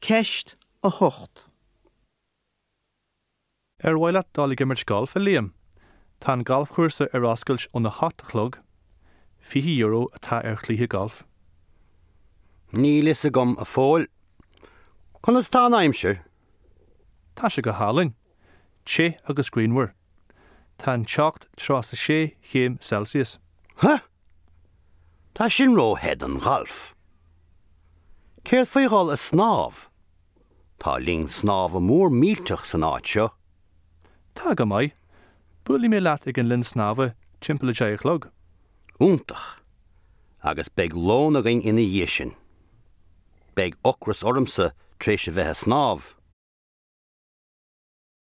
Ceist 8. Ar mhaith leat dul ag imirt gailf, a Liam? Tá an galfchúrsa ar oscailt óna hocht a chlog. €20 atá ar chluiche gailf. Níl fhios agam, a Phóil. Conas tá an aimsir? Tá sé go hálainn. Te agus grianmhar. Tá an teocht 36 chéim Celsius. Huh! Tá sin ró-the don ghalf. Céard faoi dhul a snámh? Tá linn snámha mór millteach san áit seo. Tá go maith. Buailfidh mé leat ag an linn snámha timpeall a 10 a chlog. Iontach! Agus beidh lón againn ina dhiaidh sin. Beidh ocras ormsa tar éis a bheith a snámh.